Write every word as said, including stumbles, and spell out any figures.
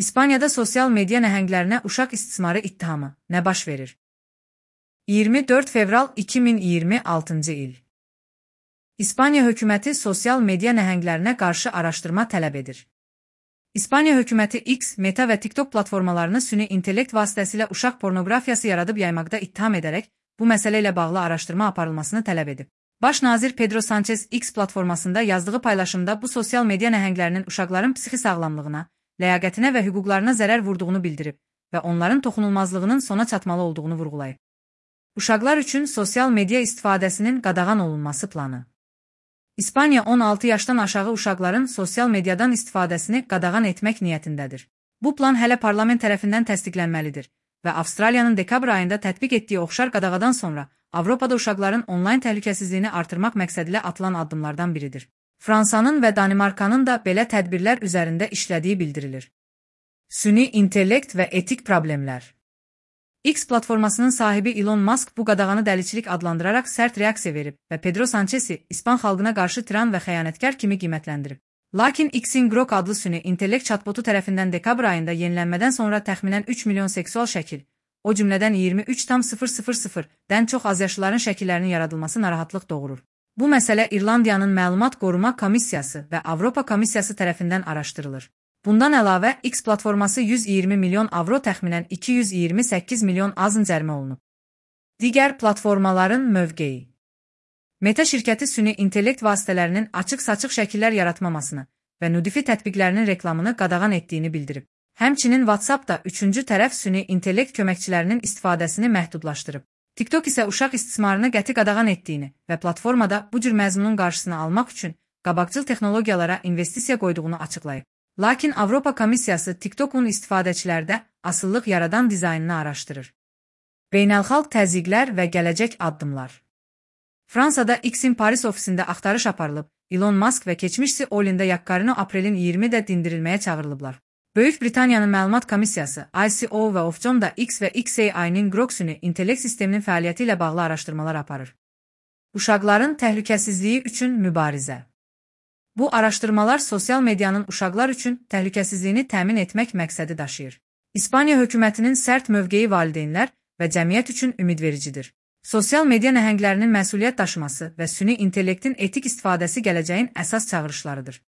İspaniyada sosial media nəhənglərinə uşaq istismarı ittihamı nə baş verir? iyirmi dörd fevral iki min iyirmi altıncı il. İspaniya hökuməti sosial media nəhənglərinə qarşı araşdırma tələb edir. İspaniya hökuməti X, Meta və TikTok platformalarını süni intellekt vasitəsilə uşaq pornoqrafiyası yaradıb yaymaqda ittiham edərək, bu məsələ ilə bağlı araşdırma aparılmasını tələb edib. Baş nazir Pedro Sanchez X platformasında yazdığı paylaşımda bu sosial media nəhənglərinin uşaqların psixi sağlamlığına, ləyaqətinə və hüquqlarına zərər vurduğunu bildirib və onların toxunulmazlığının sona çatmalı olduğunu vurğulayıb. Uşaqlar üçün sosial media istifadəsinin qadağan olunması planı. İspaniya on altı yaşdan aşağı uşaqların sosial mediadan istifadəsini qadağan etmək niyyətindədir. Bu plan hələ parlament tərəfindən təsdiqlənməlidir və Avstraliyanın dekabr ayında tətbiq etdiyi oxşar qadağadan sonra Avropada uşaqların onlayn təhlükəsizliyini artırmaq məqsədilə atılan addımlardan biridir. Fransanın və Danimarkanın da belə tədbirlər üzərində işlədiyi bildirilir. Süni intellekt və etik problemlər. X platformasının sahibi Elon Musk bu qadağanı dəliçilik adlandıraraq sərt reaksiya verib və Pedro Sanchez'i İspan xalqına qarşı tiran və xəyanətkar kimi qiymətləndirib. Lakin X'in Grok adlı süni intellekt chatbotu tərəfindən dekabr ayında yenilənmədən sonra təxminən üç milyon seksual şəkil, o cümlədən iyirmi üç min dən çox azyaşlıların şəkillərinin yaradılması narahatlıq doğurur. Bu məsələ İrlandiyanın Məlumat Qoruma Komissiyası və Avropa Komissiyası tərəfindən araşdırılır. Bundan əlavə, X platforması yüz iyirmi milyon avro təxminən iki yüz iyirmi səkkiz milyon azın cərimə olunub. Digər platformaların mövqeyi. Meta şirkəti süni intellekt vasitələrinin açıq-saçıq şəkillər yaratmamasını və nudifi tətbiqlərinin reklamını qadağan etdiyini bildirib. Həmçinin WhatsApp da üçüncü tərəf süni intellekt köməkçilərinin istifadəsini məhdudlaşdırıb. TikTok isə uşaq istismarını qəti qadağan etdiyini və platformada bu cür məzmunun qarşısını almaq üçün qabaqcıl texnologiyalara investisiya qoyduğunu açıqlayıb. Lakin Avropa Komissiyası TikTok'un istifadəçilərdə asıllıq yaradan dizaynını araşdırır. Beynəlxalq təzyiqlər və gələcək addımlar. Fransada X'in Paris ofisində axtarış aparılıb, Elon Musk və keçmişsi Olinda Yakkarino aprelin iyirmisində dindirilməyə çağırılıblar. Böyük Britaniyanın Məlumat Komissiyası I C O və Ofcom da X və X A I-nin Grok süni intellekt sisteminin fəaliyyəti ilə bağlı araşdırmalar aparır. Uşaqların təhlükəsizliyi üçün mübarizə. Bu araşdırmalar sosial medianın uşaqlar üçün təhlükəsizliyini təmin etmək məqsədi daşıyır. İspaniya hökumətinin sərt mövqeyi valideynlər və cəmiyyət üçün ümidvericidir. Sosial media nəhənglərinin məsuliyyət daşıması və süni intellektin etik istifadəsi gələcəyin əsas çağırışlarıdır.